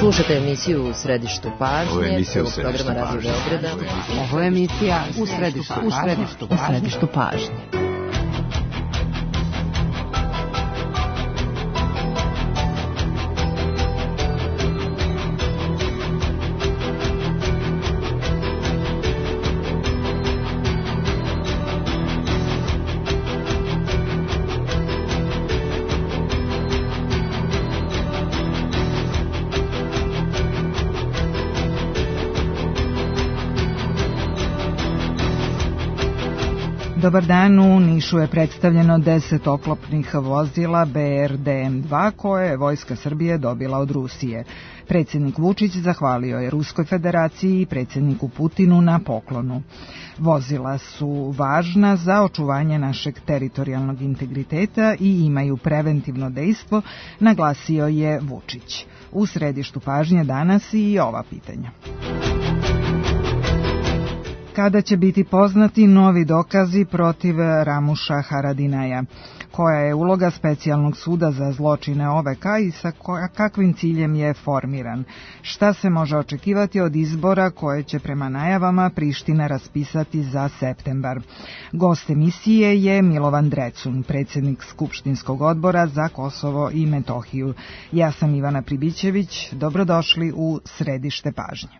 Slušajte emisiju U središtu pažnje, programa Radio Beograda. Ovo je emisija U središtu pažnje. Dobar dan, u Nišu je predstavljeno 10 oklopnih vozila BRDM-2 koje je Vojska Srbije dobila od Rusije. Predsjednik Vučić zahvalio je Ruskoj federaciji i predsjedniku Putinu na poklonu. Vozila su važna za očuvanje našeg teritorijalnog integriteta i imaju preventivno dejstvo, naglasio je Vučić. U središtu pažnje danas i ova pitanja. Kada će biti poznati novi dokazi protiv Ramuša Haradinaja? Koja je uloga specijalnog suda za zločine OVK i sa kakvim ciljem je formiran? Šta se može očekivati od izbora koje će prema najavama Priština raspisati za septembar? Gost emisije je Milovan Drecun, predsjednik Skupštinskog odbora za Kosovo i Metohiju. Ja sam Ivana Pribićević, dobrodošli u središte pažnje.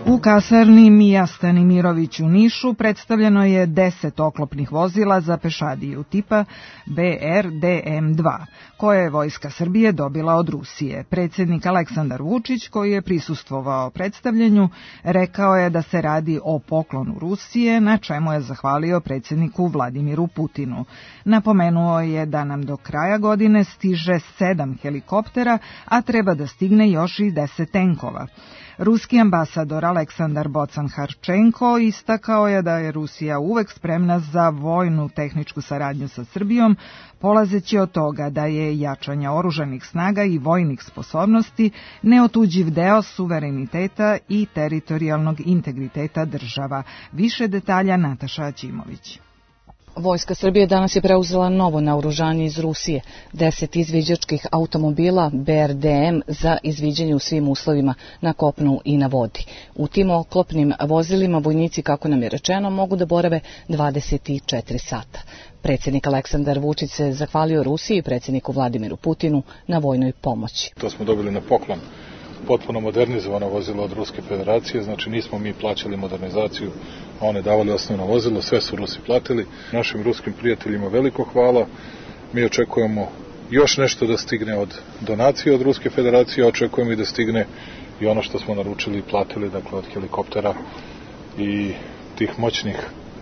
U kasarni Mija Stanimirović u Nišu predstavljeno je 10 oklopnih vozila za pešadiju tipa BRDM-2, koje je Vojska Srbije dobila od Rusije. Predsjednik Aleksandar Vučić, koji je prisustvovao predstavljanju, rekao je da se radi o poklonu Rusije, na čemu je zahvalio predsjedniku Vladimiru Putinu. Napomenuo je da nam do kraja godine stiže 7 helikoptera, a treba da stigne još i 10 tenkova. Ruski ambasador Aleksandar Bocan-Harčenko istakao je da je Rusija uvek spremna za vojnu tehničku saradnju sa Srbijom, polazeći od toga da je jačanje oružanih snaga i vojnih sposobnosti neotuđiv deo suvereniteta i teritorijalnog integriteta država. Više detalja Nataša Aćimović. Vojska Srbije danas je preuzela novo naoružanje iz Rusije, 10 izviđačkih automobila BRDM za izviđanje u svim uslovima na kopnu i na vodi. U tim oklopnim vozilima vojnici, kako nam je rečeno, mogu da borave 24 sata. Predsjednik Aleksandar Vučić se zahvalio Rusiji i predsjedniku Vladimiru Putinu na vojnoj pomoći. To smo dobili na poklon. Potpuno modernizovano vozilo od Ruske federacije, znači nismo mi plaćali modernizaciju, a one davali osnovno vozilo, sve su Rusi platili. Našim ruskim prijateljima veliko hvala, mi očekujemo još nešto da stigne od donacije od Ruske federacije, očekujemo i da stigne i ono što smo naručili i platili, dakle od helikoptera i tih moćnih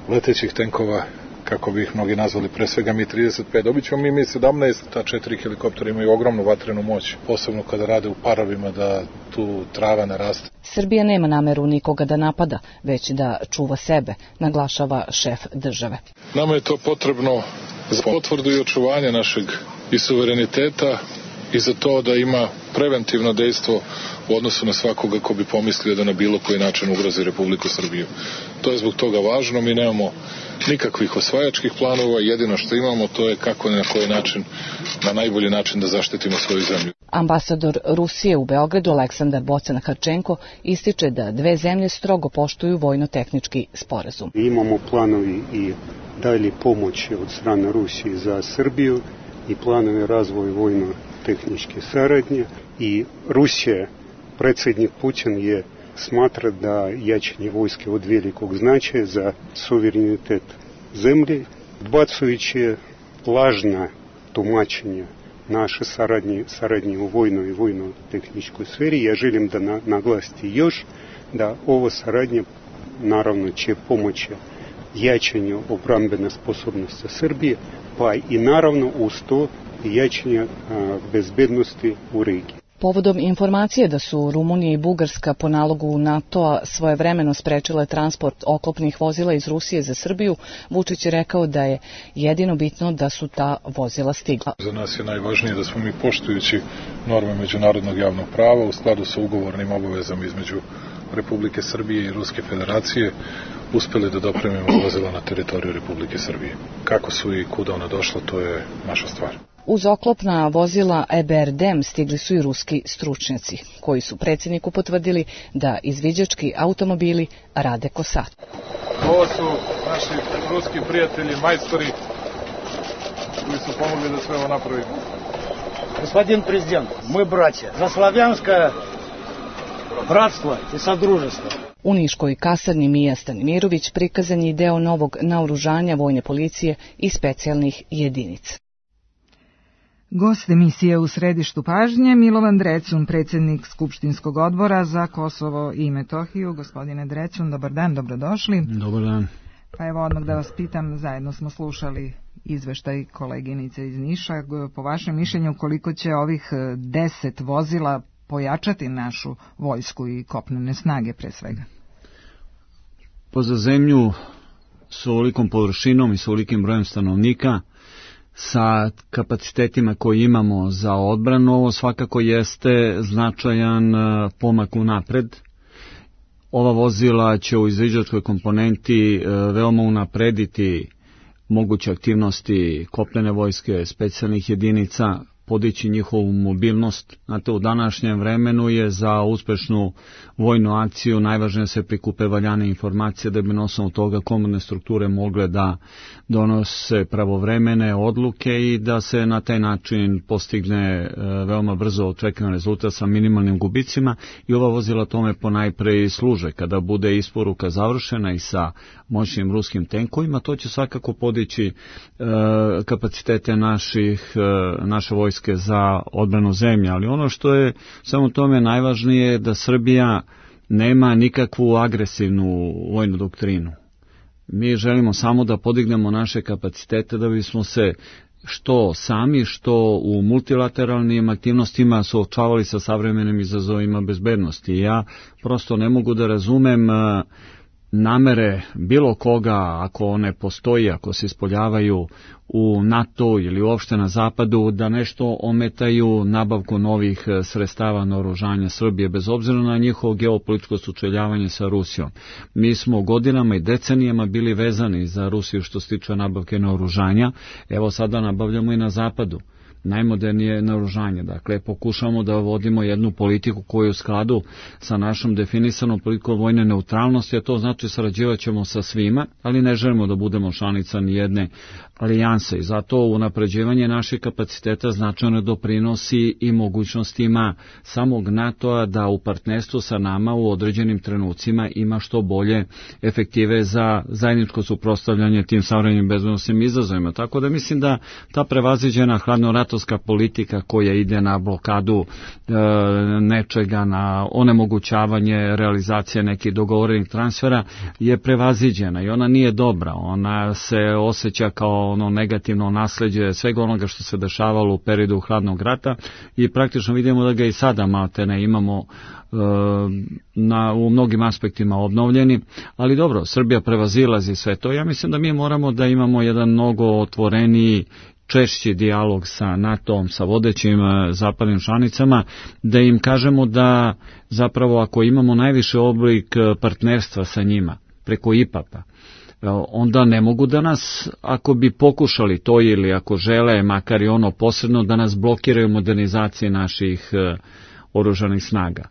letećih tenkova, kako bi ih mnogi nazvali, pre svega Mi-35. Dobit ćemo Mi-17, ta 4 helikoptera imaju ogromnu vatrenu moć, posebno kada rade u paravima da tu trava ne raste. Srbija nema nameru nikoga da napada, već da čuva sebe, naglašava šef države. Nama je to potrebno za potvrdu i očuvanje našeg i suvereniteta i za to da ima preventivno dejstvo u odnosu na svakoga ko bi pomislio da na bilo koji način ugrozi Republiku Srbiju. To je zbog toga važno, mi nemamo nikakvih osvajačkih planova, jedino što imamo to je kako i na koji način, na najbolji način da zaštitimo svoju zemlju. Ambasador Rusije u Beogradu Aleksandar Bocan-Harčenko ističe da dve zemlje strogo poštuju vojno-tehnički sporazum. Imamo planovi i dalje pomoći od strane Rusije za Srbiju i planovi razvoja vojno-tehničke saradnje i Rusija, predsjednik Putin je smatra da jačanje vojske od velikog značaja za suverenitet zemlje, odbacujući lažna tumačenja naše saradnje u vojnoj i vojno-tehničkoj sferi. Ja želim da naglasiti još da ova saradnja naravno će pomoći jačanju obrambene sposobnosti Srbije, pa i naravno uz to jačanje bezbednosti u regiji. Povodom informacije da su Rumunija i Bugarska po nalogu NATO-a svojevremeno sprečile transport oklopnih vozila iz Rusije za Srbiju, Vučić je rekao da je jedino bitno da su ta vozila stigla. Za nas je najvažnije da smo mi, poštujući norme međunarodnog javnog prava u skladu sa ugovornim obavezama između Republike Srbije i Ruske federacije, uspeli da dopremimo vozila na teritoriju Republike Srbije. Kako su i kuda ona došla, to je naša stvar. Uz oklopna vozila EBRD stigli su i ruski stručnjaci, koji su predsjedniku potvrdili da izviđački automobili rade ko sat. Ovo su naši ruski prijatelji, majstori, koji su pomogli da sve ovo napravimo. Господин президент, мы братья за славянское bratstvo i sadruženstvo. U niškoj kasarni Mija Stanimirović prikazan je deo novog naoružanja vojne policije i specijalnih jedinica. Gost emisije u središtu pažnje Milovan Drecun, predsjednik Skupštinskog odbora za Kosovo i Metohiju. Gospodine Drecun, dobar dan, dobrodošli. Dobar dan. Pa evo odmah da vas pitam, zajedno smo slušali izveštaj koleginice iz Niša. Po vašem mišljenju, koliko će ovih 10 vozila pojačati našu vojsku i kopnene snage pre svega? Pa za zemlju s ovolikom površinom i s ovolikim brojem stanovnika, sa kapacitetima koji imamo za odbranu, ovo svakako jeste značajan pomak unapred. Ova vozila će u izviđačkoj komponenti veoma unaprediti moguće aktivnosti kopnene vojske, specijalnih jedinica, podići njihovu mobilnost. Znate, u današnjem vremenu je za uspešnu vojnu akciju najvažnije se prikupe valjane informacije da bi na osnovu toga komandne strukture mogle da donose pravovremene odluke i da se na taj način postigne veoma brzo očekivan rezultat sa minimalnim gubicima, i ova vozila tome ponajpre i služe. Kada bude isporuka završena i sa moćnim ruskim tenkovima, to će svakako podići kapacitete naše vojske za odbranu zemlje, ali ono što je samo tome najvažnije je da Srbija nema nikakvu agresivnu vojnu doktrinu. Mi želimo samo da podignemo naše kapacitete da bismo se što sami, što u multilateralnim aktivnostima suočavali sa savremenim izazovima bezbednosti. Ja prosto ne mogu da razumem namere bilo koga, ako one postoji, ako se ispoljavaju u NATO ili uopšte na zapadu, da nešto ometaju nabavku novih sredstava naoružanja Srbije, bez obzira na njihovo geopolitičko sučeljavanje sa Rusijom. Mi smo godinama i decenijama bili vezani za Rusiju što se tiče nabavke naoružanja, evo sada nabavljamo i na zapadu najmodernije naoružanje. Dakle, pokušamo da vodimo jednu politiku koju je u skladu sa našom definisanom politikom vojne neutralnosti, a to znači sarađivat ćemo sa svima, ali ne želimo da budemo članica ni jedne alijanse, i zato unapređivanje naših kapaciteta značajno doprinosi i mogućnostima samog NATO-a da u partnerstvu sa nama u određenim trenucima ima što bolje efektive za zajedničko suprotstavljanje tim savremenim bezbednosnim izazovima. Tako da mislim da ta prevaziđena hladnoratovska politika koja ide na blokadu nečega, na onemogućavanje realizacije nekih dogovorenih transfera je prevaziđena i ona nije dobra. Ona se osjeća kao ono negativno nasleđe svega onoga što se dešavalo u periodu hladnog rata i praktično vidimo da ga i sada maltene imamo u mnogim aspektima obnovljeni, ali dobro, Srbija prevazilazi sve to. Ja mislim da mi moramo da imamo jedan mnogo otvoreniji, češći dijalog sa NATO-om, sa vodećim zapadnim članicama, da im kažemo da zapravo ako imamo najviše oblik partnerstva sa njima preko IPAP-a, onda ne mogu da nas, ako bi pokušali to ili ako žele, makar i ono posredno, da nas blokiraju modernizacije naših oružanih snaga.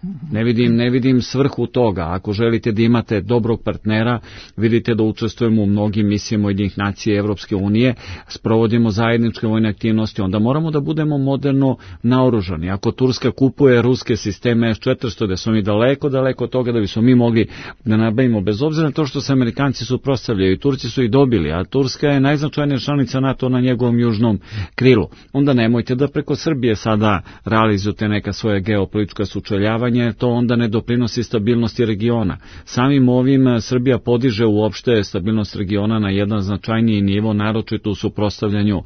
Ne vidim svrhu toga. Ako želite da imate dobrog partnera, vidite da učestvujemo u mnogim misijama Ujedinjenih nacija i Evropske unije, sprovodimo zajedničke vojne aktivnosti, onda moramo da budemo moderno naoružani. Ako Turska kupuje ruske sisteme S-400, da smo mi daleko od toga da bismo mi mogli da nabavimo, bez obzira na to što se Amerikanci suprotstavljaju i Turci su ih dobili, a Turska je najznačajnija članica NATO na njegovom južnom krilu. Onda nemojte da preko Srbije sada realizujete neka svoje geopolitička politička sučeljavanja, to onda ne doprinosi stabilnosti regiona. Samim ovim Srbija podiže uopšte stabilnost regiona na jedan značajniji nivo, naročito u suprotstavljanju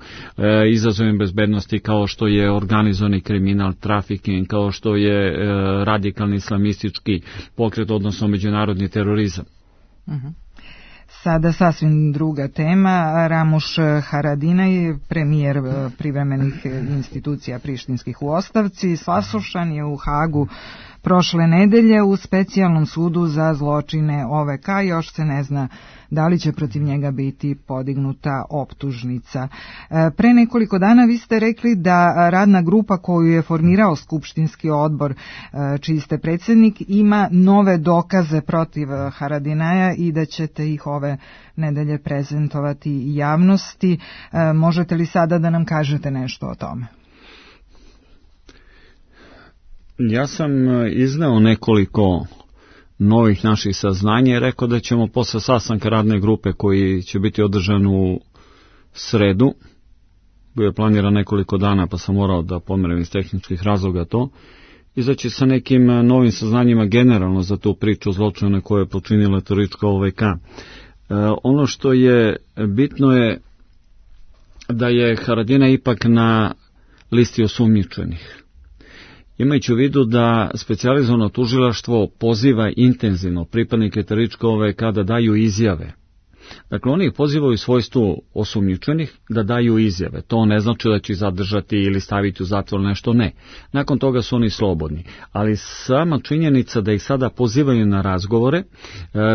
izazovima bezbednosti kao što je organizovani kriminal, trafiking, kao što je radikalni islamistički pokret, odnosno međunarodni terorizam. Sada sasvim druga tema. Ramuš Haradinaj, premijer privremenih institucija prištinskih u ostavci, saslušan je u Hagu prošle nedelje u specijalnom sudu za zločine OVK. Još se ne zna da li će protiv njega biti podignuta optužnica. Pre nekoliko dana vi ste rekli da radna grupa koju je formirao Skupštinski odbor, čiji ste predsjednik, ima nove dokaze protiv Haradinaja i da ćete ih ove nedelje prezentovati javnosti. Možete li sada da nam kažete nešto o tome? Ja sam izneo nekoliko novih naših saznanja i rekao da ćemo posle sastanka radne grupe koji će biti održan u sredu, bio je planiran nekoliko dana pa sam morao da pomerim iz tehničkih razloga to, izaći sa nekim novim saznanjima generalno za tu priču zločina koje je počinila teroristička OVK. Ono što je bitno je da je Haradinaj ipak na listi osumnjičenih. Imajući u vidu da specijalizovano tužilaštvo poziva intenzivno pripadnike terorističke OVK da daju izjave. Dakle, oni ih pozivaju u svojstvu osumnjičenih da daju izjave. To ne znači da će ih zadržati ili staviti u zatvor, nešto ne. Nakon toga su oni slobodni. Ali sama činjenica da ih sada pozivaju na razgovore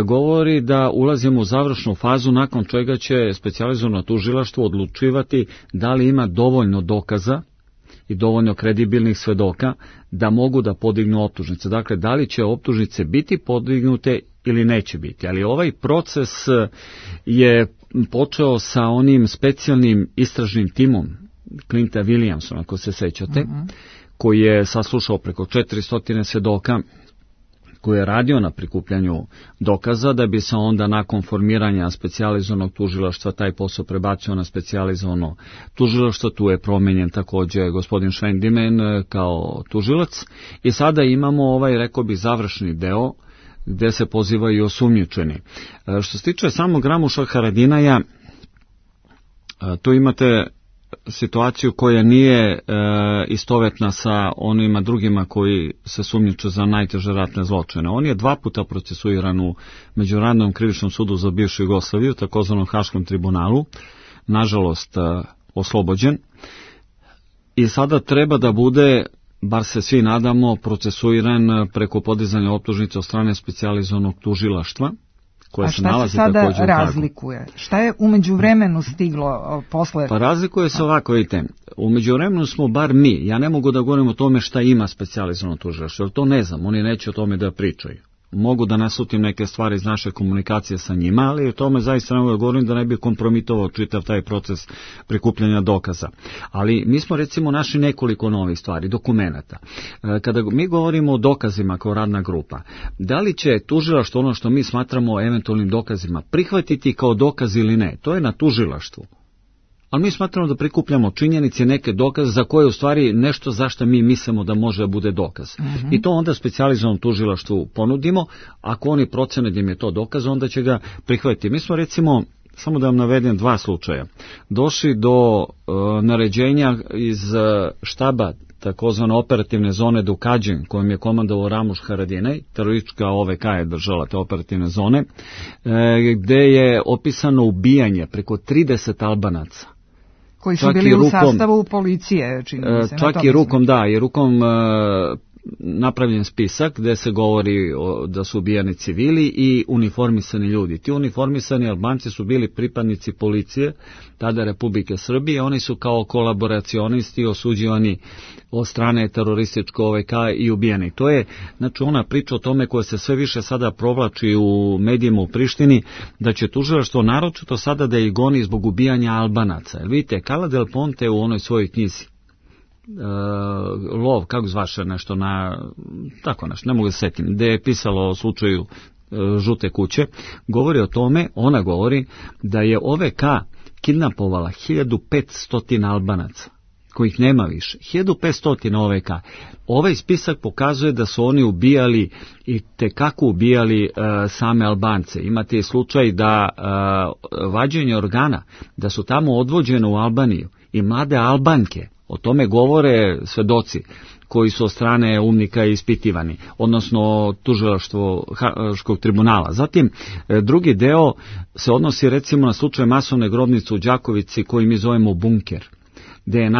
govori da ulazimo u završnu fazu nakon čega će specijalizovano tužilaštvo odlučivati da li ima dovoljno dokaza i dovoljno kredibilnih svedoka da mogu da podignu optužnice. Dakle, da li će optužnice biti podignute ili neće biti. Ali ovaj proces je počeo sa onim specijalnim istražnim timom Clinta Williamsona, ako se sećate, koji je saslušao preko 400 svedoka, koji je radio na prikupljanju dokaza, da bi se onda nakon formiranja specijalizovanog tužilaštva taj posao prebacio na specijalizovano tužilaštvo. Tu je promenjen također gospodin Švendimen kao tužilac i sada imamo rekao bih, završni deo gde se pozivaju osumnjičeni. Što se tiče samog Ramuša Haradinaja, tu imate situaciju koja nije istovetna sa onima drugima koji se sumnjiče za najteže ratne zločine. On je 2 puta procesuiran u Međunarodnom krivičnom sudu za bivšu Jugoslaviju, takozvanom Haškom tribunalu, nažalost oslobođen, i sada treba da bude, bar se svi nadamo, procesuiran preko podizanja optužnice od strane specijalizovanog tužilaštva. A šta se sada razlikuje? Šta je u međuvremenu stiglo posle? Pa razlikuje se ovako, vidite, u međuvremenu smo bar mi, ja ne mogu da govorim o tome šta ima specijalizovano tužilaštvo, jer to ne znam, oni neće o tome da pričaju. Mogu da nasutim neke stvari iz naše komunikacije sa njima, ali o tome zaista ne mogu da govorim da ne bi kompromitovao čitav taj proces prikupljanja dokaza. Ali mi smo recimo našli nekoliko novih stvari, dokumenata. Kada mi govorimo o dokazima kao radna grupa, da li će tužilaštvo ono što mi smatramo eventualnim dokazima prihvatiti kao dokaz ili ne, to je na tužilaštvu. Ali mi smatramo da prikupljamo činjenice, neke dokaze za koje u stvari nešto zašto mi mislimo da može da bude dokaz. I to onda specijalizovanom tužilaštvu ponudimo. Ako oni procene da im je to dokaz, onda će ga prihvatiti. Mi smo recimo, samo da vam navedem 2 slučaja, došli do naređenja iz štaba takozvane operativne zone Dukađin, kojom je komandovao Ramuš Haradinaj, teroristička OVK je držala te operativne zone, gde je opisano ubijanje preko 30 Albanaca. Koji su bili u sastavu policije, čini mi se. Čak i rukom, da, i rukom napravljen spisak gde se govori da su ubijani civili i uniformisani ljudi. Ti uniformisani Albanci su bili pripadnici policije, tada Republike Srbije, oni su kao kolaboracionisti osuđivani od strane terorističke OVK i ubijeni. To je, znači, ona priča o tome koja se sve više sada provlači u medijima u Prištini, da će tužilaštvo naročito sada da ih goni zbog ubijanja Albanaca. Jer vidite, Cala del Ponte u onoj svojoj knjizi, lov, kako zvaše nešto na, tako nešto, ne mogu se setim, gde je pisalo o slučaju žute kuće, govori o tome, ona govori da je OVK kidnapovala 1500 Albanaca, kojih nema više. 1500 OVK. Ovaj spisak pokazuje da su oni ubijali i tekako ubijali same Albance. Imate slučaj da vađenje organa, da su tamo odvođene u Albaniju i mlade Albanke, o tome govore svedoci koji su od strane UMNIK-a ispitivani, odnosno tužilaštvo Haškog tribunala. Zatim, drugi deo se odnosi recimo na slučaj masovne grobnice u Đakovici koji mi zovemo bunker, gde je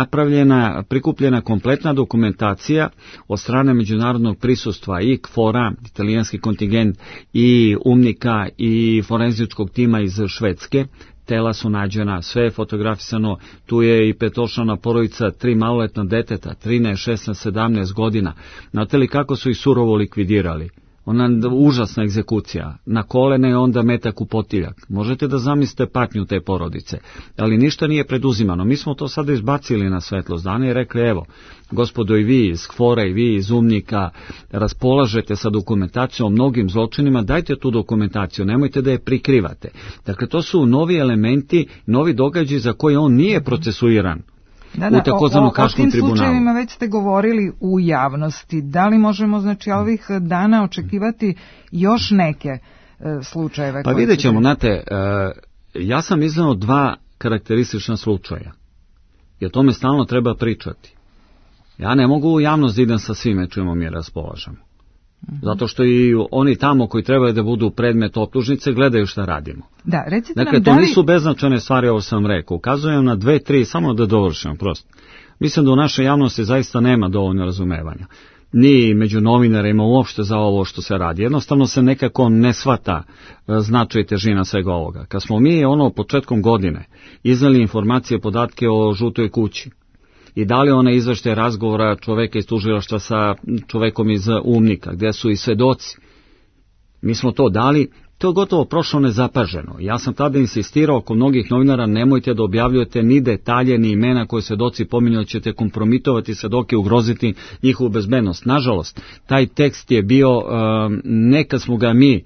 prikupljena kompletna dokumentacija od strane međunarodnog prisustva i KFOR-a, italijanski kontingent, i UMNIK-a i forenzičkog tima iz Švedske. Tela su nađena, sve je fotografisano, tu je i petočlana porodica, 3 maloletna deteta, 13, 16, 17 godina. Znate li kako su ih surovo likvidirali? Ona užasna egzekucija, na kolene je onda metak u potiljak. Možete da zamislite patnju te porodice, ali ništa nije preduzimano. Mi smo to sada izbacili na svetlost dana i rekli, evo, gospodo, i vi iz KFOR-a i vi iz UMNIK-a raspolažete sa dokumentacijom o mnogim zločinima, dajte tu dokumentaciju, nemojte da je prikrivate. Dakle, to su novi elementi, novi događaji za koje on nije procesuiran. U takozvanom Haškom tribunalu. O tim slučajevima već ste govorili u javnosti. Da li možemo, znači, ovih dana očekivati još neke slučajeve? Pa vidjet ćemo, znate, ja sam izneo 2 karakteristična slučaja. I o tome stalno treba pričati. Ja ne mogu u javnost da idem sa svime čemu mi raspolažemo. Zato što i oni tamo koji trebaju da budu predmet optužnice gledaju šta radimo. Da, recite dakle, nam, to nisu beznačajne stvari, ovo sam rekao. Ukazujem na 2, 3, samo da dovršim prosto. Mislim da u našoj javnosti zaista nema dovoljno razumevanja. Ni među novinarima uopšte za ovo što se radi. Jednostavno se nekako ne shvata značaj i težina svega ovoga. Kad smo mi početkom godine iznali informacije, podatke o žutoj kući, i dali one izveštaje razgovora čoveka iz tužilaštva sa čovekom iz UMNIK-a, gdje su i svedoci. Mi smo to dali, to je gotovo prošlo nezapaženo. Ja sam tada insistirao oko mnogih novinara, nemojte da objavljujete ni detalje, ni imena koje svedoci pominju, ćete kompromitovati svedoke, ugroziti njihovu bezbednost. Nažalost, taj tekst je bio, ne kad smo ga mi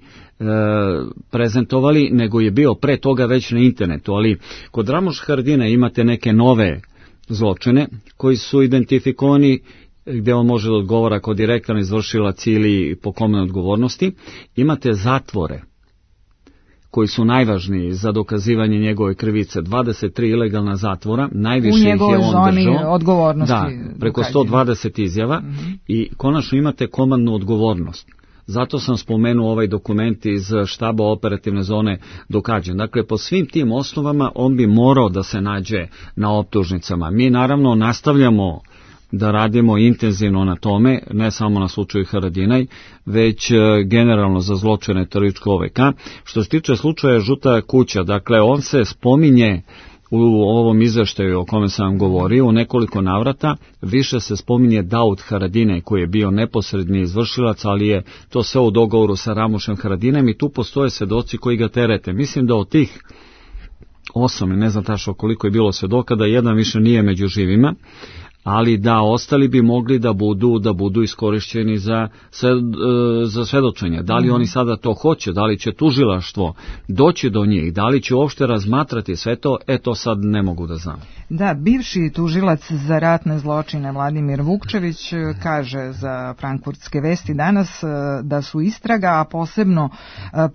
prezentovali, nego je bio pre toga već na internetu, ali kod Ramoša Haradina imate neke nove zločine koji su identifikovani gdje on može da odgovara kao direktan izvršilac ili po kome odgovornosti. Imate zatvore koji su najvažniji za dokazivanje njegove krivice, 23 ilegalna zatvora, najviše ih je on držao. U njegovoj zoni odgovornosti. Da, preko 120 izjava i konačno imate komandnu odgovornost. Zato sam spomenuo ovaj dokument iz štaba operativne zone dokađen. Dakle, po svim tim osnovama on bi morao da se nađe na optužnicama. Mi naravno nastavljamo da radimo intenzivno na tome, ne samo na slučaju Haradinaj, već generalno za zločine terorističkog OVK. Što se tiče slučaja Žuta kuća, dakle, on se spominje u ovom izveštaju o kome sam vam govorio u nekoliko navrata, više se spominje Daud Haradinaj koji je bio neposredni izvršilac, ali je to sve u dogovoru sa Ramošem Haradinajem i tu postoje svedoci koji ga terete. Mislim da od tih 8, ne znam tačno koliko je bilo svedoka, da jedan više nije među živima, ali da ostali bi mogli da budu iskorišćeni za svedočenje. Da li oni sada to hoće, da li će tužilaštvo doći do njih, da li će uopšte razmatrati sve to, to sad ne mogu da znam. Da, bivši tužilac za ratne zločine Vladimir Vukčević kaže za Frankfurtske vesti danas da su istraga, a posebno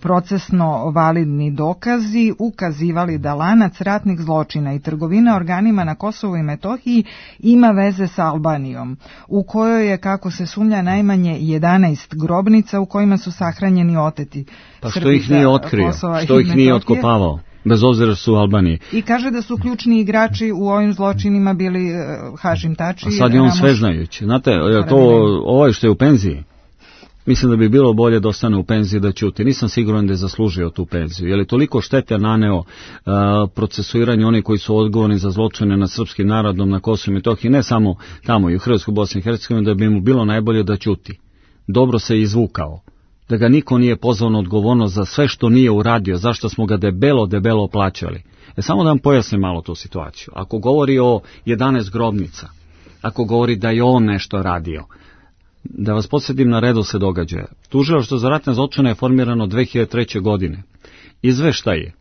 procesno validni dokazi ukazivali da lanac ratnih zločina i trgovina organima na Kosovu i Metohiji ima veze sa Albanijom, u kojoj je, kako se sumnja, najmanje 11 grobnica u kojima su sahranjeni oteti. Pa što ih nije otkrio, što ih nije otkopavao, bez obzira su u Albaniji. I kaže da su ključni igrači u ovim zločinima bili Hašim Tači. A sad je on sveznajući. Znate, ovo što je u penziji, mislim da bi bilo bolje da ostane u penziji da ćuti. Nisam siguran da je zaslužio tu penziju. Je li toliko štete naneo procesuiranje onih koji su odgovorni za zločine nad srpskim narodom na Kosovu i Metohiji, ne samo tamo i u Hrvatskoj, Bosni i Hercegovini, da bi mu bilo najbolje da ćuti. Dobro se izvukao. Da ga niko nije pozvao na odgovornost za sve što nije uradio, zašto smo ga debelo plaćali. Samo da vam pojasnim malo tu situaciju. Ako govori o 11 grobnica, ako govori da je on nešto radio, da vas podsjetim na redoslijed događaja. Tužilaštvo za ratne zločine je formirano 2003. godine. Izveštaje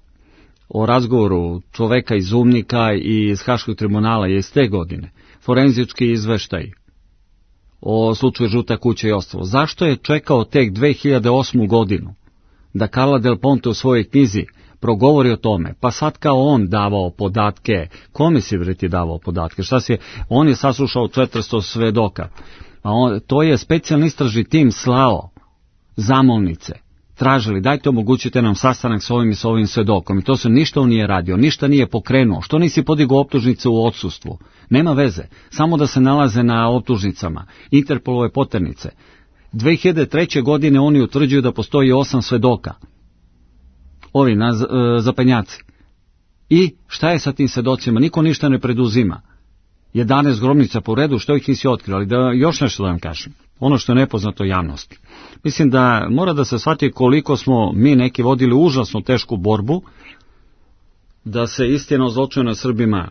o razgovoru čoveka iz UMNIK-a i iz Haškog tribunala je iz te godine. Forenzički izveštaj o slučaju Žuta kuća i ostalo. Zašto je čekao tek 2008. godinu da Carla Del Ponte u svojoj knjizi progovori o tome, pa sad kao on davao podatke, kome si vreti davao podatke, on je saslušao 400 svedoka, to je specijalni istražni tim slao zamolnice, tražili dajte omogućite nam sastanak s ovim i s ovim svedokom i to se ništa on nije radio, ništa nije pokrenuo, što nisi podigao optužnice u odsustvu, nema veze, samo da se nalaze na optužnicama, Interpolove poternice. 2003. godine oni utvrđuju da postoji 8 svedoka, ovi zapenjaci. I šta je sa tim svedocima? Niko ništa ne preduzima. 11 grobnica po redu, što ih nisi otkrio, ali da još nešto da vam kažem. Ono što je nepoznato javnosti. Mislim da mora da se shvati koliko smo mi neki vodili užasno tešku borbu, da se istina o zločinu nad Srbima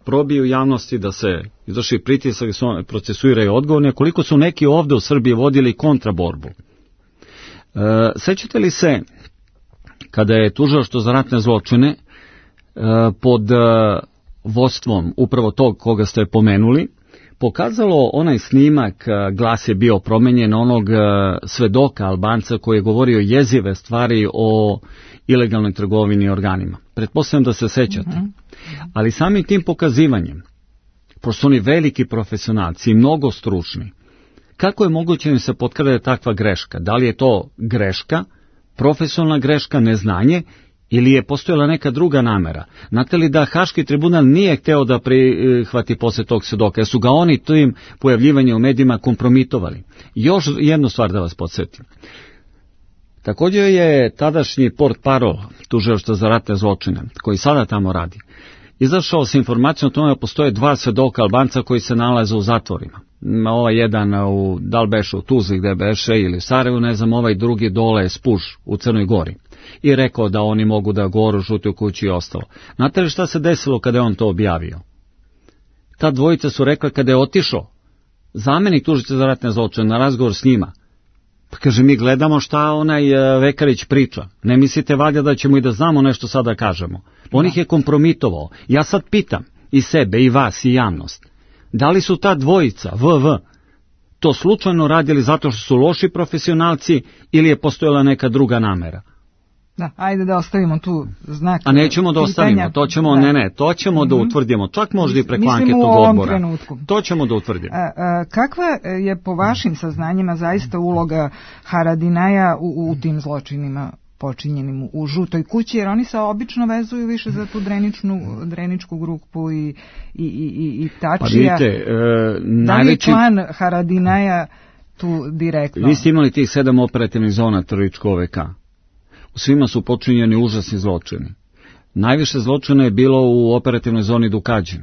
probiju javnosti, da se izvrši pritisak, da se procesuiraju odgovorni, koliko su neki ovde u Srbiji vodili kontraborbu. Sećate li se kada je Tužilaštvo za ratne zločine pod vodstvom upravo tog koga ste pomenuli, pokazalo onaj snimak, glas je bio promenjen, onog svedoka Albanca koji je govorio jezive stvari o ilegalnoj trgovini organima. Pretpostavljam da se sećate. Ali samim tim pokazivanjem, pošto su oni veliki profesionalci i mnogo stručni, kako je moguće da im se potkrade takva greška? Da li je to greška, profesionalna greška, neznanje, ili je postojala neka druga namera? Znate li da Haški tribunal nije hteo da prihvati posle tog svedoka, jer su ga oni tim pojavljivanjem u medijima kompromitovali. Još jednu stvar da vas podsjetim. Također je tadašnji portparol Tužilaštva za ratne zločine, koji sada tamo radi, izašao sa informacijom o tome da postoje 2 svedoka Albanca koji se nalaze u zatvorima. Ovaj jedan da li beše u Tuzli gde beše ili u Sarajevu, ne znam, ovaj drugi dole Spuž u Crnoj Gori. I rekao da oni mogu da govoru Žutoj kući i ostalo. Znate li šta se desilo kada je on to objavio? Ta dvojica su rekla kada je otišao zamenik tužilaca za ratne zločine na razgovor s njima, pa kaže mi gledamo šta onaj Vekarić priča. Ne mislite valjda da ćemo i da znamo nešto sada kažemo. On ih je kompromitovao. Ja sad pitam i sebe, i vas, i javnost. Da li su ta dvojica, to slučajno radili zato što su loši profesionalci ili je postojala neka druga namera? Da, ajde da ostavimo tu znak. A nećemo da ostavimo, to ćemo, to ćemo da utvrdimo, čak možda i preko anketnog odbora. Trenutku. To ćemo da utvrdimo. Kakva je po vašim saznanjima zaista uloga Haradinaja u tim zločinima počinjenim u Žutoj kući, jer oni se obično vezuju više za tu dreničku grupu i Tačija. Pa vidite, da li je član Haradinaja tu direktno? Vi ste imali tih 7 operativnih zona terorističkog OVK. U svima su počinjeni užasni zločini. Najviše zločina je bilo u operativnoj zoni Dukađin,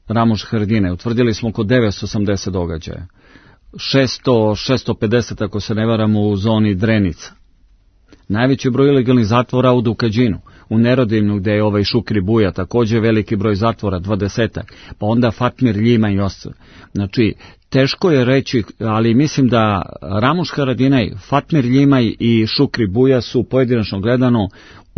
Ramoš Haradinaj. Utvrdili smo oko 980 događaja. 650, ako se ne varamo, u zoni Drenica. Najveći broj ilegalnih zatvora u Dukađinu, u Nerodimnu gde je ovaj Šukri Buja, također veliki broj zatvora, 20, pa onda Fatmir Ljima i ostalo. Znači, teško je reći, ali mislim da Ramuš Haradinaj, Fatmir Ljimaj i Šukri Buja su pojedinačno gledano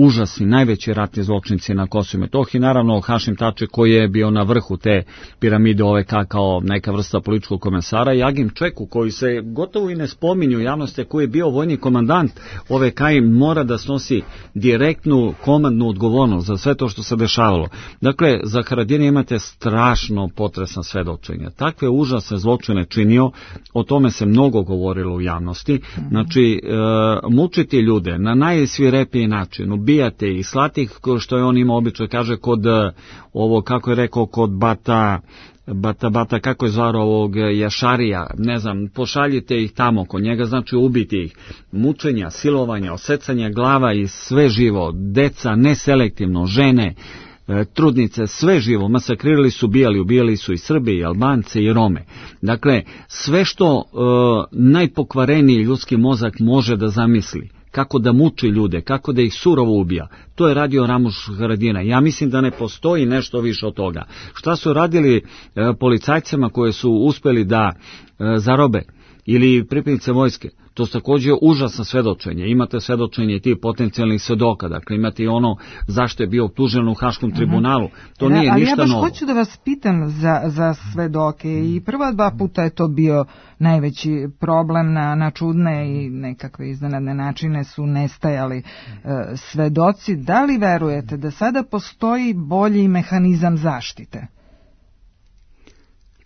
užasni, najveći ratni zločinci na Kosovu i Metohiji, naravno Hašim Tači koji je bio na vrhu te piramide OVK kao neka vrsta političkog komesara i Agim Čeku koji se gotovo i ne spominju u javnosti, koji je bio vojni komandant OVK i mora da snosi direktnu komandnu odgovornost za sve to što se dešavalo. Dakle, za Haradinaj imate strašno potresna svedočenja. Takve užasne zločine činio, o tome se mnogo govorilo u javnosti. Znači, mučiti ljude na najsvirepiji način, ubijate ih, slati ih, što je on imao običaj, kaže, kod ovo, kako je rekao, kod Bata, kako je zvaro ovog Jašarija, ne znam, pošaljite ih tamo kod njega, znači ubiti ih, mučenja, silovanja, osecanja glava i sve živo, deca neselektivno, žene, trudnice, sve živo, masakrirali su, ubijali su i Srbi, i Albance, i Rome. Dakle, sve što najpokvareniji ljudski mozak može da zamisli, kako da muči ljude, kako da ih surovo ubija, to je radio Ramuš Haradinaj. Ja mislim da ne postoji nešto više od toga. Šta su radili policajcima koje su uspeli da zarobe ili pripadnice vojske? To su također užasno svedočenje. Imate svedočenje tih potencijalnih svedoka, dakle imate i ono zašto je bio optužen u Haškom tribunalu. To nije ništa novo. Ali ja baš hoću da vas pitam za svedoke i prva 2 puta je to bio najveći problem, na čudne i nekakve iznenadne načine su nestajali svedoci. Da li verujete da sada postoji bolji mehanizam zaštite?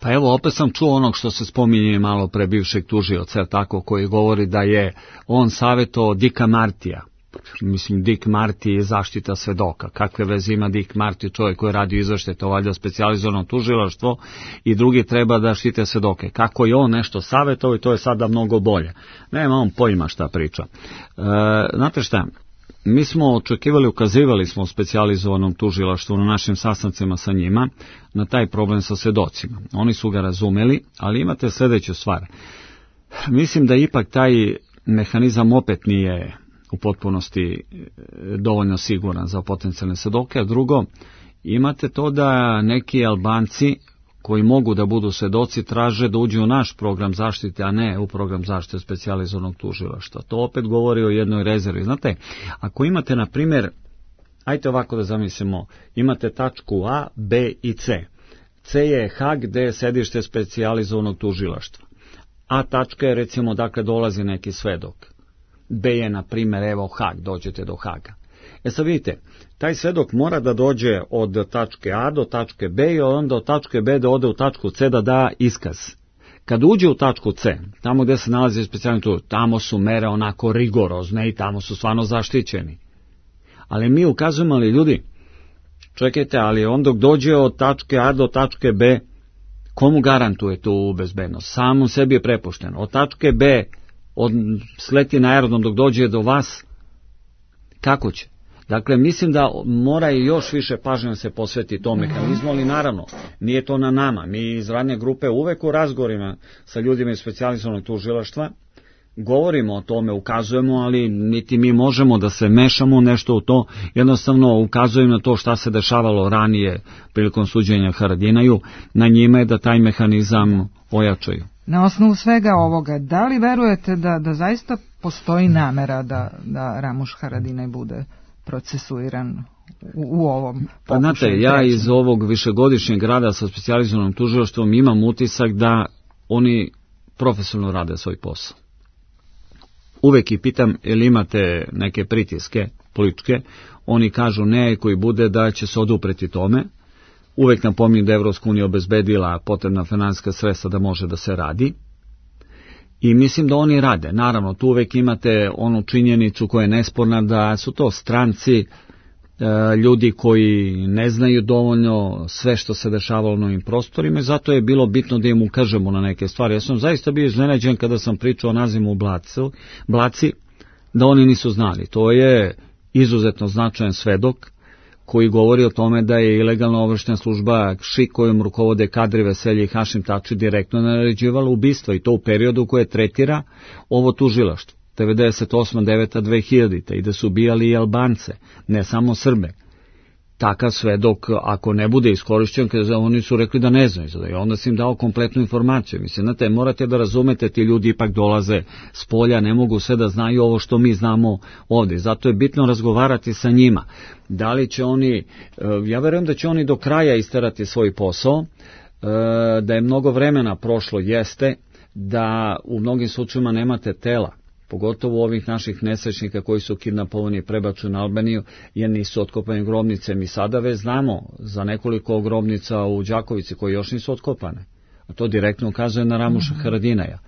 Pa evo, opet sam čuo onog što se spominje malo pre bivšeg tužioca, tako, koji govori da je on savjetovao Dicka Martija. Mislim, Dick Marty je zaštita svedoka. Kakve veze ima Dick Marty, čovjek koji radi izvršte, to valjda specijalizovano tužilaštvo, i drugi treba da štite svedoke. Kako je on nešto savjetovao i to je sada mnogo bolje. Nema on pojma šta priča. Znate šta? Mi smo očekivali, ukazivali smo u specijalizovanom tužilaštvu na našim sastancima sa njima na taj problem sa svedocima. Oni su ga razumeli, ali imate sljedeću stvar. Mislim da ipak taj mehanizam opet nije u potpunosti dovoljno siguran za potencijalne svedoke, a drugo, imate to da neki Albanci koji mogu da budu svedoci traže da uđu u naš program zaštite, a ne u program zaštite specijalizovanog tužilaštva. To opet govori o jednoj rezervi. Znate, ako imate, na primjer, ajte ovako da zamislimo, imate tačku A, B i C. C je Hag, gde je sedište specijalizovanog tužilaštva. A tačka je, recimo, dakle dolazi neki svedok. B je, na primjer, evo Hag, dođete do Haga. Sad vidite, taj svedok mora da dođe od tačke A do tačke B i onda od tačke B da ode u tačku C da da iskaz. Kad uđe u tačku C, tamo gdje se nalazi specijalni tužilac, tamo su mere onako rigorozne i tamo su stvarno zaštićeni. Ali mi ukazujemo, ali ljudi, čekajte, ali on dok dođe od tačke A do tačke B, komu garantuje tu bezbednost? Samo sebi je prepušteno. Od tačke B sleti na aerodrom dok dođe do vas, kako će? Dakle, mislim da mora i još više pažnje se posveti tom mehanizmu, ali naravno, nije to na nama. Mi iz radne grupe uvek u razgovorima sa ljudima iz specijalizovanog tužilaštva govorimo o tome, ukazujemo, ali niti mi možemo da se mešamo nešto u to, jednostavno ukazujemo na to šta se dešavalo ranije prilikom suđenja Haradinaju, na njima je da taj mehanizam ojačaju. Na osnovu svega ovoga, da li verujete da zaista postoji namera da Ramuš Haradinaj bude procesuiran u ovom pokušaju? Pa znate, ja iz ovog višegodišnjeg rada sa specijalizovanom tužilaštvom imam utisak da oni profesionalno rade svoj posao. Uvek i pitam, ili imate neke pritiske političke, oni kažu ne, koji bude da će se odupreti tome. Uvek napominju da je Evropska unija obezbedila potrebna finansijska sredstva da može da se radi. I mislim da oni rade. Naravno, tu uvek imate onu činjenicu koja je nesporna da su to stranci, ljudi koji ne znaju dovoljno sve što se dešavalo na ovim prostorima i zato je bilo bitno da im ukažemo na neke stvari. Ja sam zaista bio iznenađen kada sam pričao o nazivu u Blaci, da oni nisu znali. To je izuzetno značajan svedok koji govori o tome da je ilegalna obaveštajna služba ŠIK kojom rukovode Kadri Veselje i Hašim Tači direktno naređivala ubistva i to u periodu koje tretira ovo tužilaštvo. 98. 9. 2000. i da su ubijali i Albance, ne samo Srbe. Takav svedok, ako ne bude iskorišćen, kada oni su rekli da ne znaju, i onda sam im dao kompletnu informaciju. Mislim, znate, morate da razumete, ti ljudi ipak dolaze s polja, ne mogu sve da znaju ovo što mi znamo ovdje. Zato je bitno razgovarati sa njima. Da li će oni, ja verujem da će oni do kraja isterati svoj posao, da je mnogo vremena prošlo, jeste, da u mnogim slučajima nemate tela, pogotovo ovih naših nesrećnika koji su kidnapovani i prebačeni na Albaniju, jer nisu otkopane grobnice. Mi sada već znamo za nekoliko grobnica u Đakovici koje još nisu otkopane. A to direktno ukazuje na Ramuša Haradinaja.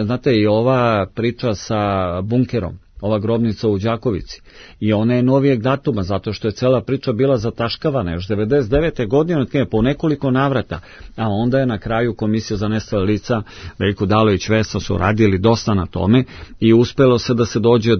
Znate, i ova priča sa bunkerom, ova grobnica u Đakovici, i ona je novijeg datuma, zato što je cela priča bila zataškavana još 99. godine, po nekoliko navrata, a onda je na kraju Komisija za nestala lica, Veljko Dalović, Vesa su radili dosta na tome i uspelo se da se dođe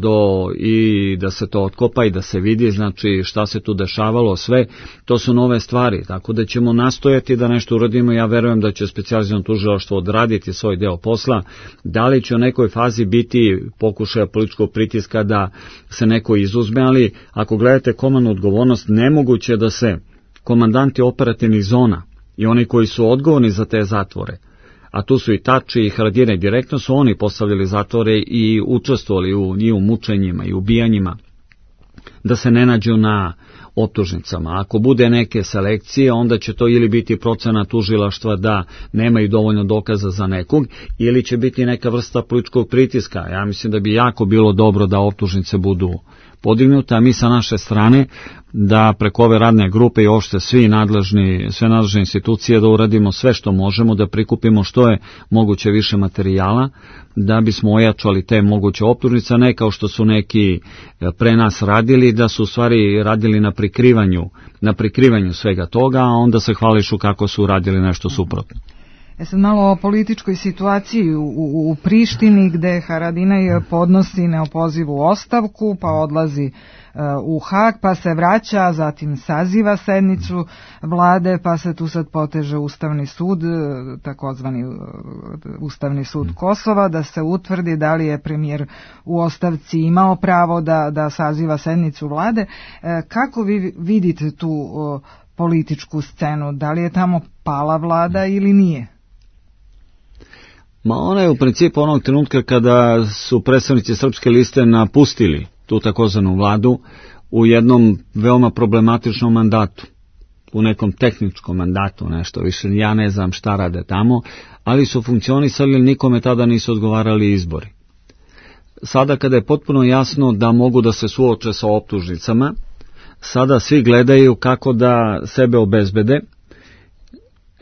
i da se to otkopa i da se vidi, znači šta se tu dešavalo, sve, to su nove stvari, tako da ćemo nastojati da nešto uradimo. Ja verujem da će specijalizovano tužilaštvo odraditi svoj deo posla. Da li će u nekoj fazi biti pokušaja političkog pritiska da se neko izuzme, ali ako gledate komandnu odgovornost, nemoguće da se komandanti operativnih zona i oni koji su odgovorni za te zatvore a tu su i Tači i Haradinaj, direktno su oni postavljali zatvore i učestvovali u mučenjima i ubijanjima, da se ne nađu na optužnicama. Ako bude neke selekcije, onda će to ili biti procena tužilaštva da nemaju dovoljno dokaza za nekog, ili će biti neka vrsta političkog pritiska. Ja mislim da bi jako bilo dobro da optužnice budu podignute, a mi sa naše strane da preko ove radne grupe i uopšte sve nadležne institucije da uradimo sve što možemo, da prikupimo što je moguće više materijala, da bismo ojačali te moguće optužnice, ne kao što su neki pre nas radili, da su u stvari radili na prikrivanju svega toga, a onda se hvališu kako su radili nešto suprotno. Sad malo o političkoj situaciji u Prištini, gde Haradinaj podnosi neopozivu ostavku, pa odlazi u Hag, pa se vraća, zatim saziva sednicu vlade, pa se tu sad poteže Ustavni sud, takozvani Ustavni sud Kosova, da se utvrdi da li je premijer u ostavci imao pravo da saziva sednicu vlade. Kako vi vidite tu političku scenu? Da li je tamo pala vlada ili nije? Ma ona je u principu onog trenutka kada su predstavnici Srpske liste napustili tu takozvanu vladu u jednom veoma problematičnom mandatu, u nekom tehničkom mandatu, nešto više, ja ne znam šta rade tamo, ali su funkcionisali, nikome tada nisu odgovarali izbori. Sada kada je potpuno jasno da mogu da se suoče sa optužnicama, sada svi gledaju kako da sebe obezbede.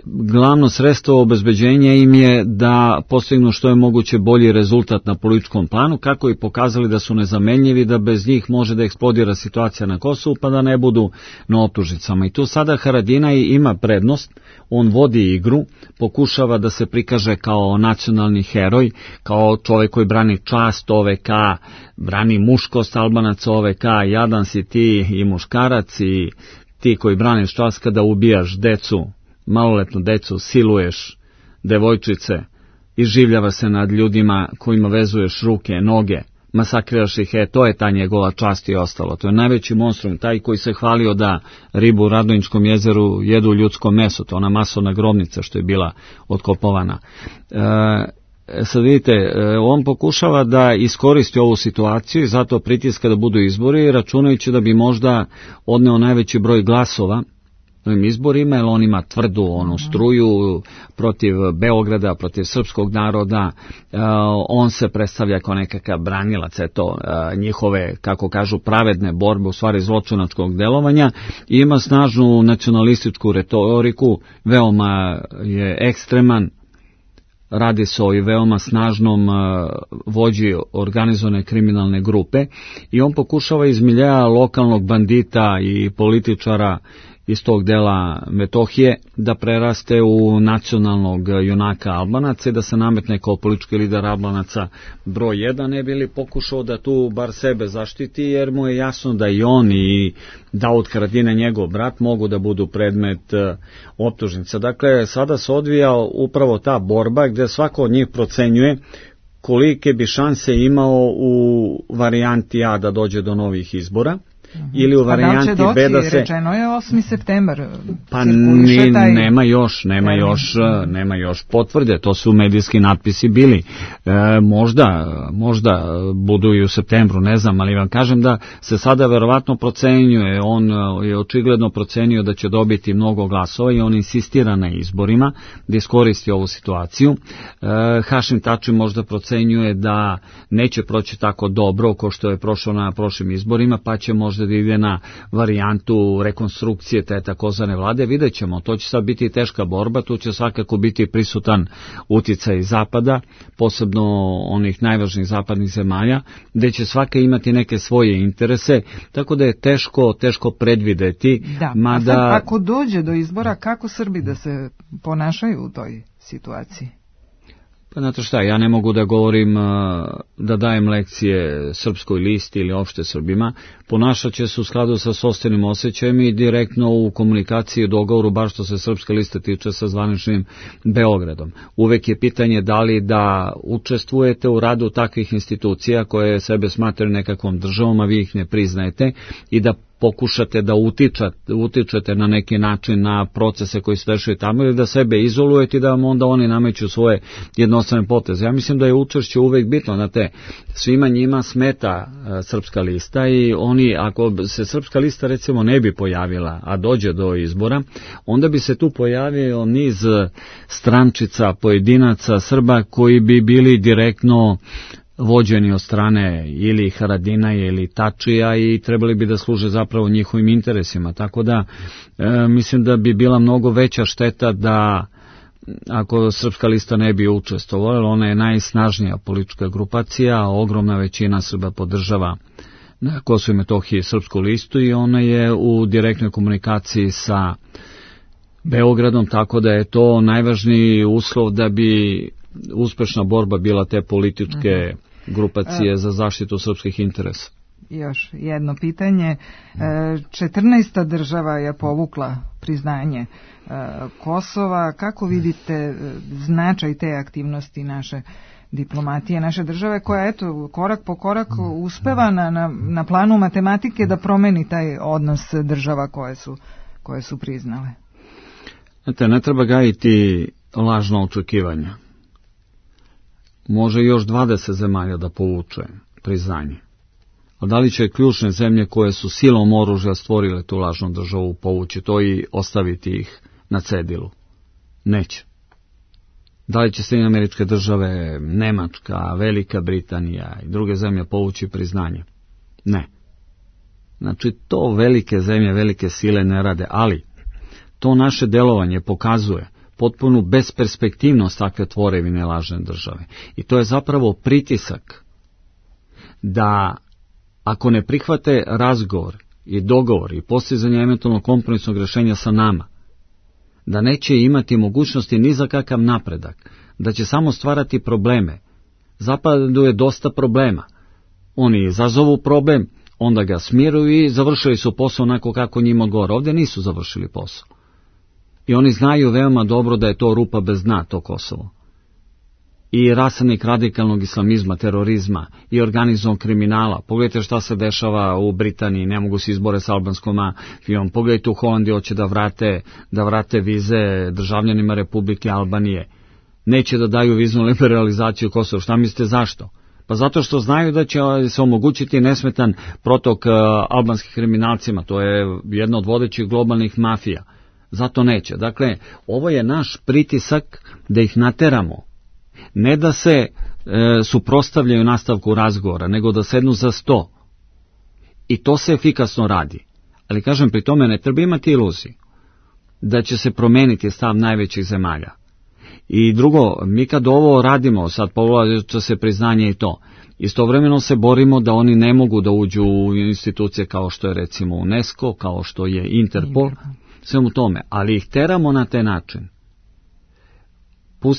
Glavno sredstvo obezbeđenja im je da postignu što je moguće bolji rezultat na političkom planu, kako i pokazali da su nezamenljivi, da bez njih može da eksplodira situacija na Kosovu, pa da ne budu na optužnicama. I tu sada Haradinaj ima prednost, on vodi igru, pokušava da se prikaže kao nacionalni heroj, kao čovjek koji brani čast OVK, brani muškost Albanaca OVK, jadan si ti i muškarac i ti koji braniš čast kada ubijaš decu, maloletnu decu, siluješ devojčice, iživljava se nad ljudima kojima vezuješ ruke, noge, masakriraš ih, to je ta njegova čast i ostalo. To je najveći monstrum, taj koji se hvalio da ribu u Radonjičkom jezeru jedu ljudsko meso, to ona masovna grobnica što je bila otkopovana. Sad vidite, on pokušava da iskoristi ovu situaciju i zato pritiska da budu izbori, računajući da bi možda odneo najveći broj glasova ovim izborima, jer on ima tvrdu onu struju protiv Beograda, protiv srpskog naroda, on se predstavlja kao nekakav branilac njihove, kako kažu, pravedne borbe, u stvari zločinačkog delovanja, i ima snažnu nacionalističku retoriku, veoma je ekstreman, radi se o i veoma snažnom vođi organizovane kriminalne grupe i on pokušava iz miljeja lokalnog bandita i političara iz tog dela Metohije da preraste u nacionalnog junaka Albanaca i da se nametne kao politički lider Albanaca broj 1, ne bi li pokušao da tu bar sebe zaštiti, jer mu je jasno da i on i Daud Haradinaj, njegov brat, mogu da budu predmet optužnica. Dakle, sada se odvija upravo ta borba gdje svako od njih procenjuje kolike bi šanse imao u varijanti A da dođe do novih izbora, ili u varijanti B da se... Rečeno je 8. septembar. Pa nema još potvrde, to su medijski natpisi bili. Možda budu i u septembru, ne znam, ali vam kažem da se sada verovatno procenjuje, on je očigledno procenio da će dobiti mnogo glasova i on insistira na izborima da iskoristi ovu situaciju. Hašim Tači možda procenjuje da neće proći tako dobro kao što je prošao na prošlim izborima, pa će možda da ide na varijantu rekonstrukcije te takozvane vlade. Vidjet ćemo, to će sad biti teška borba, tu će svakako biti prisutan uticaj Zapada, posebno onih najvažnijih zapadnih zemalja, gde će svaka imati neke svoje interese, tako da je teško predvideti. Da, a sad ako dođe do izbora, kako Srbi da se ponašaju u toj situaciji? Pa znate šta, ja ne mogu da govorim, da dajem lekcije Srpskoj listi ili opšte Srbima, ponašat će se u skladu sa sopstvenim osjećajem i direktno u komunikaciji i dogovoru, bar što se Srpska lista tiče, sa zvaničnim Beogradom. Uvek je pitanje da li da učestvujete u radu takvih institucija koje sebe smatraju nekakvom državom, a vi ih ne priznajete, i da pokušate da utičete na neki način na procese koji se dešaju tamo ili da sebe izolujete i da vam onda oni nameću svoje jednostrane poteze. Ja mislim da je učešće uvek bitno, znate, svima njima smeta Srpska lista i oni, ako se Srpska lista recimo ne bi pojavila, a dođe do izbora, onda bi se tu pojavio niz strančica, pojedinaca Srba koji bi bili direktno vođeni od strane ili Haradinaja ili Tačija i trebali bi da služe zapravo njihovim interesima. Tako da mislim da bi bila mnogo veća šteta da ako Srpska lista ne bi učestvovala, ona je najsnažnija politička grupacija, ogromna većina Srba podržava na Kosovu i Metohiji Srpsku listu i ona je u direktnoj komunikaciji sa Beogradom, tako da je to najvažniji uslov da bi uspešna borba bila te političke grupacije za zaštitu srpskih interesa. Još jedno pitanje. 14. država je povukla priznanje Kosova. Kako vidite značaj te aktivnosti naše diplomatije, naše države, koja eto korak po korak uspeva na planu matematike da promeni taj odnos država koje su priznale? Znate, ne treba gajiti lažno očekivanja. Može još 20 zemalja da povuče priznanje. A da li će ključne zemlje koje su silom oružja stvorile tu lažnu državu povući to i ostaviti ih na cedilu? Neće. Da li će Sjedinjene Američke Države, Nemačka, Velika Britanija i druge zemlje povući priznanje? Ne. Znači, to velike zemlje, velike sile ne rade, ali to naše delovanje pokazuje potpunu besperspektivnost takve tvorevine lažne države. I to je zapravo pritisak da ako ne prihvate razgovor i dogovor i postizanje eventualno kompromisnog rešenja sa nama, da neće imati mogućnosti ni za kakav napredak, da će samo stvarati probleme. Zapadu je dosta problema. Oni izazovu problem, onda ga smiruju i završili su posao onako kako njima odgovara. Ovdje nisu završili posao. I oni znaju veoma dobro da je to rupa bez dna, to Kosovo. I rasadnik radikalnog islamizma, terorizma i organizovanog kriminala. Pogledajte šta se dešava u Britaniji, ne mogu se izbore s albanskom mafijom. Pogledajte u Holandiji, hoće da vrate vize državljanima Republike Albanije. Neće da daju viznu liberalizaciju Kosova. Šta mislite zašto? Pa zato što znaju da će se omogućiti nesmetan protok albanskih kriminalcima. To je jedna od vodećih globalnih mafija. Zato neće. Dakle, ovo je naš pritisak da ih nateramo. Ne da se suprotstavljaju nastavku razgovora, nego da sednu za sto. I to se efikasno radi. Ali kažem, pri tome ne treba imati iluziju da će se promeniti stav najvećih zemalja. I drugo, mi kad ovo radimo, sad povlača se priznanje i to, istovremeno se borimo da oni ne mogu da uđu u institucije kao što je recimo UNESCO, kao što je Interpol, svemu tome, ali ih teramo na taj način.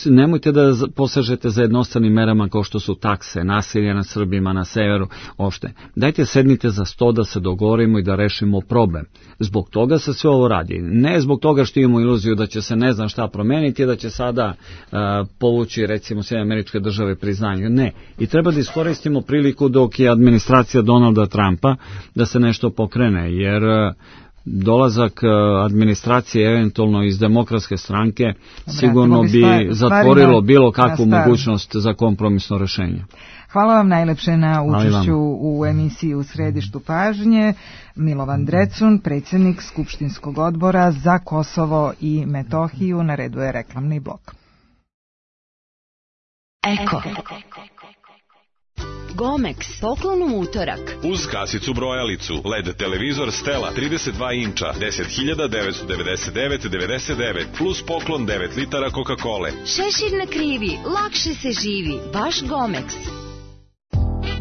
Nemojte da posežete za jednostranim merama kao što su takse, nasilje nad Srbima na severu, opšte. Dajte sednite za sto da se dogovorimo i da rešimo problem. Zbog toga se sve ovo radi. Ne zbog toga što imamo iluziju da će se ne znam šta promeniti, da će sada povući recimo Sjedinjene Američke Države priznanje. Ne. I treba da iskoristimo priliku dok je administracija Donalda Trumpa da se nešto pokrene, jer dolazak administracije eventualno iz Demokratske stranke sigurno bi zatvorilo bilo kakvu mogućnost za kompromisno rešenje. Hvala vam najlepše na učešću u emisiji U središtu pažnje. Milovan Drecun, predsjednik Skupštinskog odbora za Kosovo i Metohiju. Na redu je reklamni blok. Eko. Gomex, poklon u utorak. Uz kasicu brojalicu, LED televizor Stela 32 inča, 10.999,99 plus poklon 9 litara Coca-Cola. Šešir na krivi, lakše se živi, baš Gomex.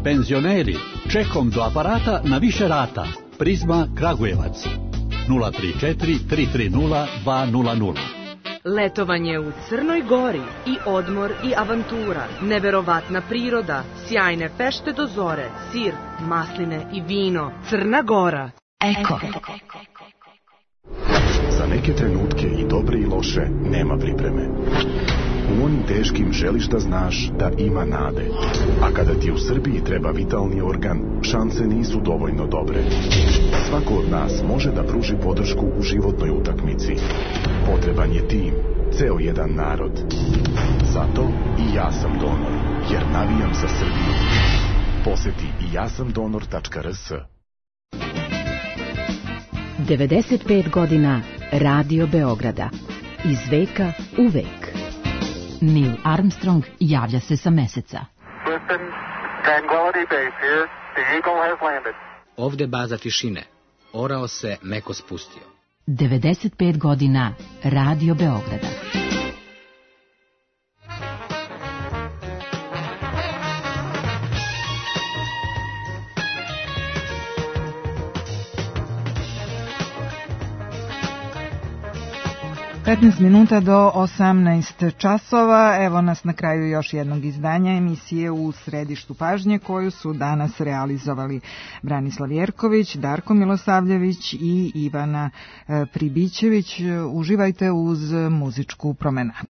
Penzioneri, čekom do aparata na više rata. Prizma Kragujevac, 034 330 200. Letovanje u Crnoj Gori i odmor i avantura, neverovatna priroda, sjajne fešte do zore, sir, masline i vino. Crna Gora. Eko. Za neke trenutke i dobre i loše nema pripreme. U onim teškim želiš da znaš da ima nade. A kada ti u Srbiji treba vitalni organ, šanse nisu dovoljno dobre. Svako od nas može da pruži podršku u životnoj utakmici. Potreban je tim, ceo jedan narod. Zato i ja sam donor, jer navijam za Srbiju. Poseti i jasamdonor.rs. 95 godina Radio Beograda. Iz veka u vek. Neil Armstrong javlja se sa Meseca. Ovde baza tišine. Orao se meko spustio. 95 godina Radio Beograda. Minuta do 18 časova. Evo nas na kraju još jednog izdanja emisije U središtu pažnje, koju su danas realizovali Branislav Jerković, Darko Milosavljević i Ivana Pribićević. Uživajte uz muzičku promenadu.